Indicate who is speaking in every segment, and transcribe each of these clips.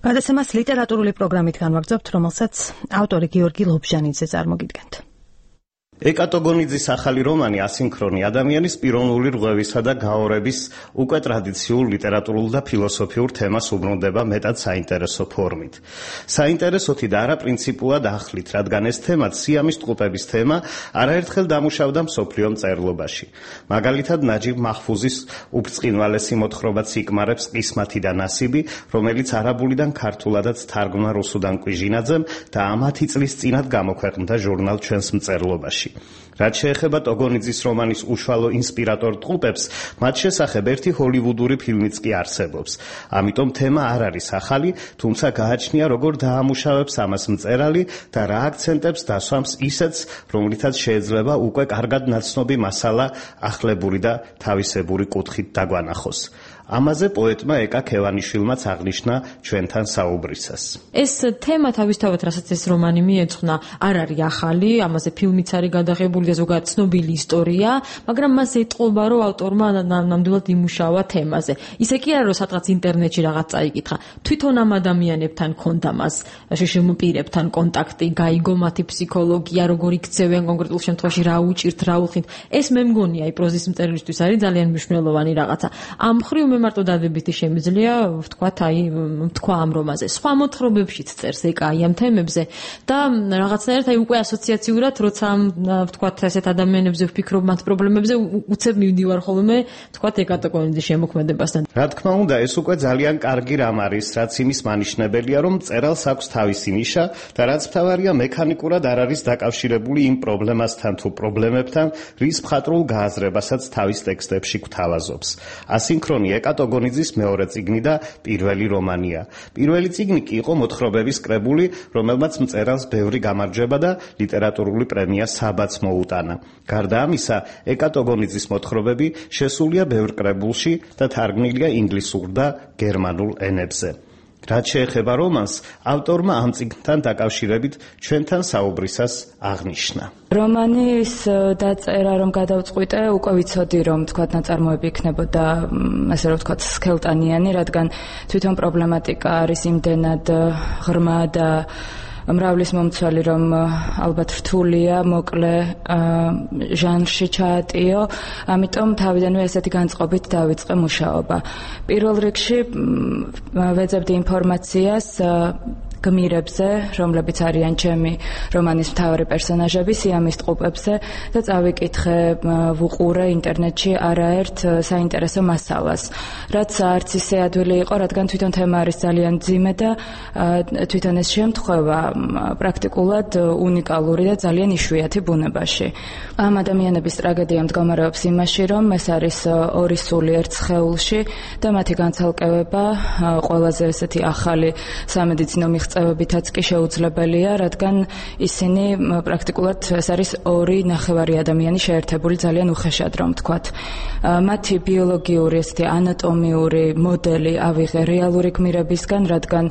Speaker 1: გადაცემას ლიტერატურული პროგრამით განვაგრძობთ, რომელსაც ავტორი გიორგი ლობჟანიძე წარმოგიდგენთ.
Speaker 2: ეკატოგონიძის ახალი რომანი ასინქრონი ადამიანის პიროვნული რღვევისა და გაორების უკვე ტრადიციულ ლიტერატურულ და ფილოსოფიურ თემას უბრუნდება მეტად საინტერესო ფორმით. საინტერესოთი და არა პრინციპულად ახლით, რადგან ეს თემაც სიამის ტყუპების თემა არაერთხელ დამუშავდა მსოფლიო მწერლობაში. მაგალითად ნაჯიბ მაჰფუზის უბრწყინვალესი მოთხრობა ციკმარებს ყისმათი და ნასიბი, რომელიც არაბულიდან ქართულადაც თარგმნა რუსუდან კვიჟინაძემ და ამათი წლის წინათ გამოქვეყნდა ჟურნალ ჩვენს მწერლობაში. რაც შეეხება ტოგონიძის რომანის უშუალო ინსპირატორ ტყუპებს, მათ შესახებ ერთი ჰოლივუდური ფილმიც კი არსებობს. ამიტომ თემა არ არის ახალი, თუმცა გააჩნია როგორ დაამუშავებს ამას მწერალი და რა აქცენტებს დასვამს ისეც, რომლითაც შეიძლება უკვე კარგად ნაცნობი მასალა ახლებური და თავისებური კუთხით დაგვანახოს. ამაზე პოეტმა ეკა ქევანიშვილმაც აღნიშნა ჩვენთან საუბრისას.
Speaker 3: ეს თემა თავისთავად, რასაც ეს რომანი მიეძღვნა, არ არის ახალი, ამაზე ფილმიც არის გადაღებული და ზოგადად ცნობილი ისტორია, მაგრამ მას ეტყობა, რომ ავტორმა ნამდვილად იმუშავა თემაზე. ისე კი არა, რომ სადღაც ინტერნეტში რაღაც წაიკითხა. თვითონ ამ ადამიანებთან ქონდა მას, შშმ პირებთან კონტაქტი, გაიგო მათი ფსიქოლოგია, როგორ იქცევენ კონკრეტულ შემთხვევაში, რა უჭირთ, რა უხდით. ეს მე მგონია, პროზის მწერლისთვის არის ძალიან მნიშვნელოვანი რაღაცა. ამ მხრივ მარტო დადებითი შემიძლია ვთქვა ამ რომანზე. სხვა მოთხრობებშიც წერს ეკა ამ თემებზე და რაღაცნაირად უკვე ასოციაციურად, როცა ვთქვათ ესეთ ადამიანებზე ვფიქრობ მათ პრობლემებზე, უცებ მივდივარ ხოლმე ვთქვათ ეკატოგონიძის შემოქმედებასთან.
Speaker 2: რა თქმა უნდა, ეს უკვე ძალიან კარგი რამ არის, რაც იმის მანიშნებელია, რომ მწერალს აქვს თავისი ნიშა და რაც მთავარია მექანიკურად არ არის დაკავშირებული იმ პრობლემასთან თუ პრობლემებთან, რის მხატვრულ გააზრებასაც თავის ტექსტებში გვთავაზობს. ასინქრონი ეკატოგონიძის მეორე წიგნი და პირველი რომანია. პირველი წიგნი კი იყო მოთხრობების კრებული, რომელმაც მწერალს ბევრი გამარჯვება და ლიტერატურული პრემია საბაც მოუტანა. გარდა ამისა, ეკატოგონიძის მოთხრობები შესულია ბევრ კრებულში და თარგმნილია ინგლისურ და გერმანულ ენებზე. რაც შეეხება რომანს, ავტორმა ამ წიგნთან დაკავშირებით ჩვენთან საუბრისას აღნიშნა.
Speaker 4: რომანის დაწერა რომ გადავწყვიტე, უკვე ვიცოდი რომ თქვათ ნაწარმოები იქნებოდა ასე რომ თქვათ სქელტანიანი, რადგან თვითონ პრობლემატიკა არის იმდენად ღრმა და მრავლის მომცველი, რომ ალბათ რთულია, მოკლე ჟანრში ჩაატიო, ამიტომ თავიდანვე ესეთი განწყობით დავიწყე მუშაობა. პირველ რიგში ვეძებდი ინფორმაციას გმირებზე, რომლებიც არიან ჩემი რომანის მთავარი პერსონაჟები, სიამის ტყუპებზე და წავიკითხე, ვუყურე ინტერნეტში არაერთ საინტერესო მასალას. რაც არც ისე ადვილი იყო, რადგან თვითონ თემა არის ძალიან მძიმე და თვითონ ეს შემთხვევა პრაქტიკულად უნიკალური და ძალიან იშვიათი ბუნებაში. ამ ადამიანების ტრაგედია მდგომარეობს იმაში, რომ ეს არის ორი სული ერთ სხეულში და მათი განცალკევება ყველაზე ესეთი ახალი სამედიცინო მიღწევებითაც კი შეუძლებელია, რადგან ისინი პრაქტიკულად ეს არის ორი ნახევარი ადამიანი შეერთებული ძალიან უხეშად, რომ ვთქვათ. მათი ბიოლოგიური ესეთი ანატომიური მოდელი ავიღე რეალური გმირებისგან, რადგან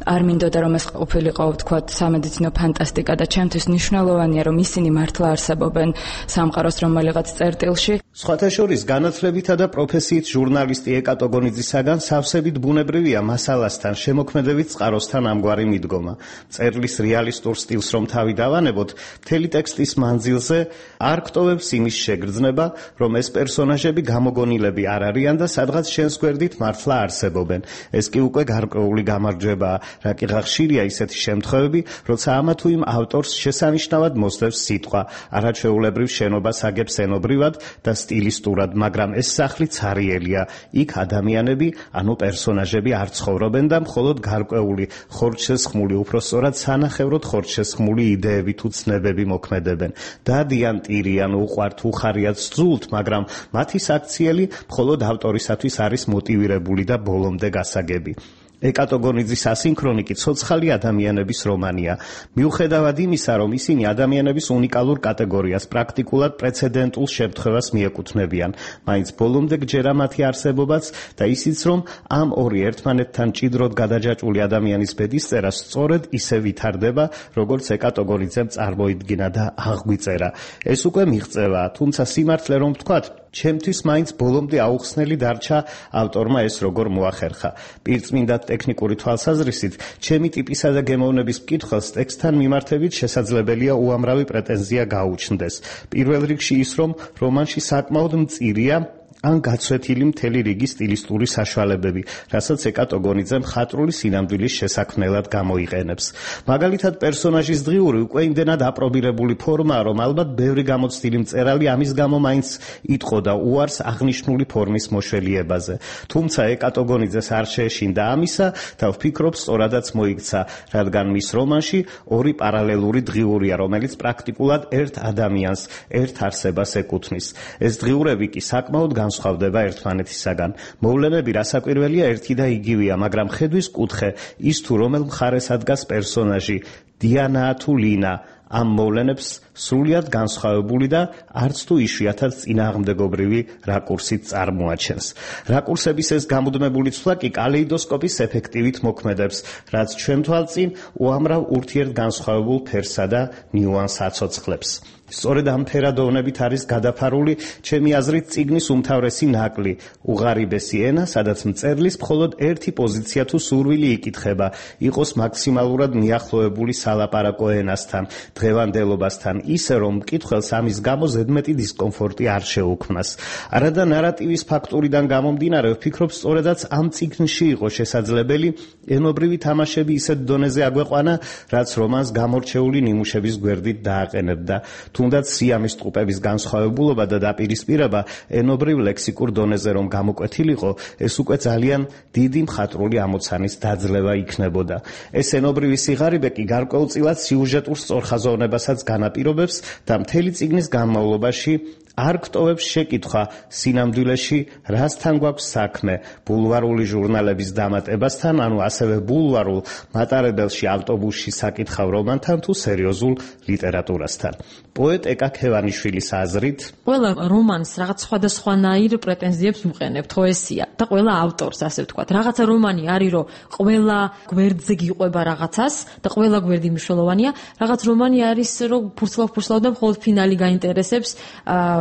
Speaker 4: არ მინდოდა რომ ეს ყოფილიყო ვთქვათ სამედიცინო ფანტასტიკა და ჩემთვის მნიშვნელოვანია რომ ისინი მართლა არსებობენ სამყაროს რომელიღაც წერტილში.
Speaker 2: სხვათა შორის განათლებითა და პროფესიით ჟურნალისტი ეკატოგონიძისაგან სავსებით ბუნებრივია მასალასთან, შემოქმედებით წყაროსთან ამგვარი მიდგომა. მწერლის რეალისტურ სტილს რომ თავი დავანებოთ, მთელი ტექსტის მანძილზე არ გტოვებს იმის შეგრძნება, რომ ეს პერსონაჟები გამოგონილები არ არიან და სადღაც შენს გვერდით მართლა არსებობენ. ეს კი უკვე გარკვეული გამარჯვებაა. რა კი ხშირია ისეთი შემთხვევები, როცა ამა თუ იმ ავტორს შესანიშნავად მოსდევს სიტყვა, არაჩვეულებრივ შენობას აგებს ენობრივად და სტილისტურად, მაგრამ ეს სახლი ცარიელია. იქ ადამიანები, ანუ პერსონაჟები არ ცხოვრობენ და მხოლოდ გარკვეული ხორცშესხმული, უпроსწორად სანახევროდ ხორცშესხმული იდეები თუ ცნებები მოქმედებენ. დადიან, ტირიან, უყვართ, უხარიათ, სძულთ, მაგრამ მათი საქციელი მხოლოდ ავტორისათვის არის მოტივირებული და ბოლომდე გასაგები. ეკატოგონიძის ასინქრონი კი ცოცხალი ადამიანების რომანია. მიუხედავად იმისა, რომ ისინი ადამიანების უნიკალურ კატეგორიას, პრაქტიკულად პრეცედენტულ შემთხვევას მიეკუთვნებიან, მაინც ბოლომდე გჯერა მათი არსებობაც და ისიც, რომ ამ ორი ერთმანეთთან ჭიდროდ გადაჯაჭვული ადამიანის ბედისწერა სწორედ ისე ვითარდება, როგორც ეკატოგონიძემ წარმოიდგინა და აღგვიწერა. ეს უკვე მიღწევაა, თუმცა სიმართლე რომ ვთქვათ, ჩემთვის მაინც ბოლომდე აუხსნელი დარჩა ავტორმა ეს როგორ მოახერხა. პირწმინდა ტექნიკური თვალსაზრისით, ჩემი ტიპისა და გემოვნების მკითხველს ტექსტთან მიმართებით შესაძლებელია უამრავი პრეტენზია გაუჩნდეს. პირველ რიგში ის, რომ რომანში საკმაოდ მწირია ან გაცვეთილი მთელი რიგი სტილისტური საშუალებები, რასაც ეკატოგონიძე მხატვრული სინამდვილის შესაქმნელად გამოიყენებს. მაგალითად, პერსონაჟის დღიური უკვე იმდენად აპრობირებული ფორმაა, რომ ალბათ ბევრი გამოცდილი მწერალი ამის გამო მაინც იტყოდა უარს აღნიშნული ფორმის მოშველიებაზე. თუმცა ეკატოგონიძეს არ შეეშინდა ამისა და ვფიქრობ, სწორადაც მოიქცა, რადგან მის რომანში ორი პარალელური დღიურია, რომელიც პრაქტიკულად ერთ ადამიანს, ერთ არსებას ეკუთვნის. ეს დღიურები კი საკმაოდ განსხვავდება ერთმანეთისაგან. მოვლენები რასაკვირველია ერთი და იგივეა, მაგრამ ხედვის კუთხე, ის თუ რომელ მხარეს ადგას პერსონაჟი, დიანაა თუ ლინა, ამ მოვლენებს სრულიად განსხვავებული და არც თუ იშვიათად წინააღმდეგობრივი რაკურსით წარმოაჩენს. რაკურსების ეს გამუდმებული ცვლა კი კალეიდოსკოპის ეფექტივით მოქმედებს, რაც ჩვენ თვალწინ უამრავ ურთიერთგანსხვავებულ ფერსა და ნიუანსს აცოცხლებს. სწორედ ამ ფერადოვნებით არის გადაფარული ჩემი აზრით წიგნის უმთავრესი ნაკლი, უღარიბესი ენა, სადაც მწერლის მხოლოდ ერთი პოზიცია თუ სურვილი იკითხება, იყოს მაქსიმალურად მიახლოებული სალაპარაკო ენასთან, დღევანდელობასთან, ისე რომ მკითხველს ამის გამო ზედმეტი დისკომფორტი არ შეუქმნას. არადა ნარატივის ფაქტორიდან გამომდინარე, ვფიქრობ, სწორედაც ამ წიგნში იყო შესაძლებელი ენობრივი თამაშები ისეთ დონეზე აგვეყვანა, რაც რომანს გამორჩეული ნიმუშების გვერდით დააყენებდა. თუნდაც სიამის ტყუპების განსხვავებულობა და დაპირისპირება ენობრივ ლექსიკურ დონეზე რომ გამოკვეთილიყო, ეს უკვე ძალიან დიდი მხატვრული ამოცანის დაძლევა იქნებოდა. ეს ენობრივი სიღარიბე კი გარკვეულწილად სიუჟეტურ სწორხაზოვნებასაც განაპირობებს და მთელი წიგნის განმავლობაში არ გტოვებს შეკითხვა სინამდვილეში რასთან გვაქვს საქმე, ბულვარული ჟურნალების დამატებასთან, ანუ ასევე ბულვარულ მატარებელში ავტობუსში საკითხავ რომანთან თუ სერიოზულ ლიტერატურასთან. პოეტ ეკა ქევანიშვილის აზრით,
Speaker 3: ყველა რომანს რაღაც სხვადასხვანაირ პრეტენზიებს უყენებთ, ხო ესია? და ყველა ავტორს, ასე ვთქვათ, რაღაცა რომანი არის, რომ ყველა გვერდზე გიყვება რაღაცას და ყველა გვერდი მნიშვნელოვანია, რაღაც რომანი არის, რომ ფურცლავ და მხოლოდ ფინალი გაინტერესებს,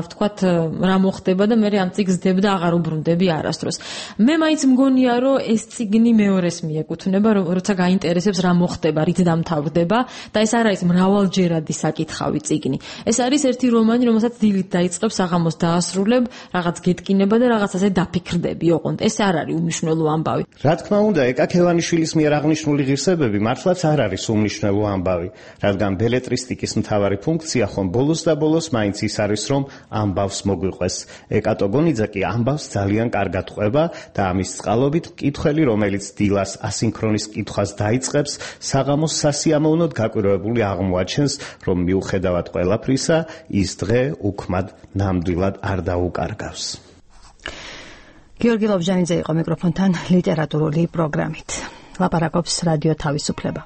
Speaker 3: ვთქვათ, რა მოხდება და მე ამ წიგნს ვდებ და აღარ უბრუნდები არასდროს. მე მაინც მგონია, რომ ეს წიგნი მეორეს მიეკუთვნება, როცა გაინტერესებს რა მოხდება, რით დამთავრდება და ეს არ არის მრავალჯერადი საკითხავი წიგნი. ეს არის ერთი რომანი, რომელსაც დილით დაიწყებს, საღამოს დაასრულებ, რაღაც გეტკინება და რაღაცაზე დაფიქრდები, ოღონდ. ეს არ არის უმნიშვნელო ამბავი.
Speaker 2: რა თქმა უნდა, ეკა ქევანიშვილის მიერ აღნიშნული ღირსებები მართლაც არ არის უმნიშვნელო ამბავი, რადგან ბელეტრისტიკის მთავარი ფუნქცია ხომ ბოლოს და ბოლოს მაინც ის არის, რომ ამბავს მოგვიყვეს. ეკატოგონიძე კი ამბავს ძალიან კარგად ყვება და ამის წყალობით მკითხველი, რომელიც დილას ასინქრონის კითხვას დაიწყებს, საღამოს სასიამოვნოდ გაკვირვებული აღმოაჩენს, რომ მიუხედავად ყველაფრისა, ის დღე უქმად ნამდვილად არ დაუკარგავს.
Speaker 1: გიორგი ლობჟანიძე იყო მიკროფონთან ლიტერატურული პროგრამით. ლაპარაკობს რადიო თავისუფლება.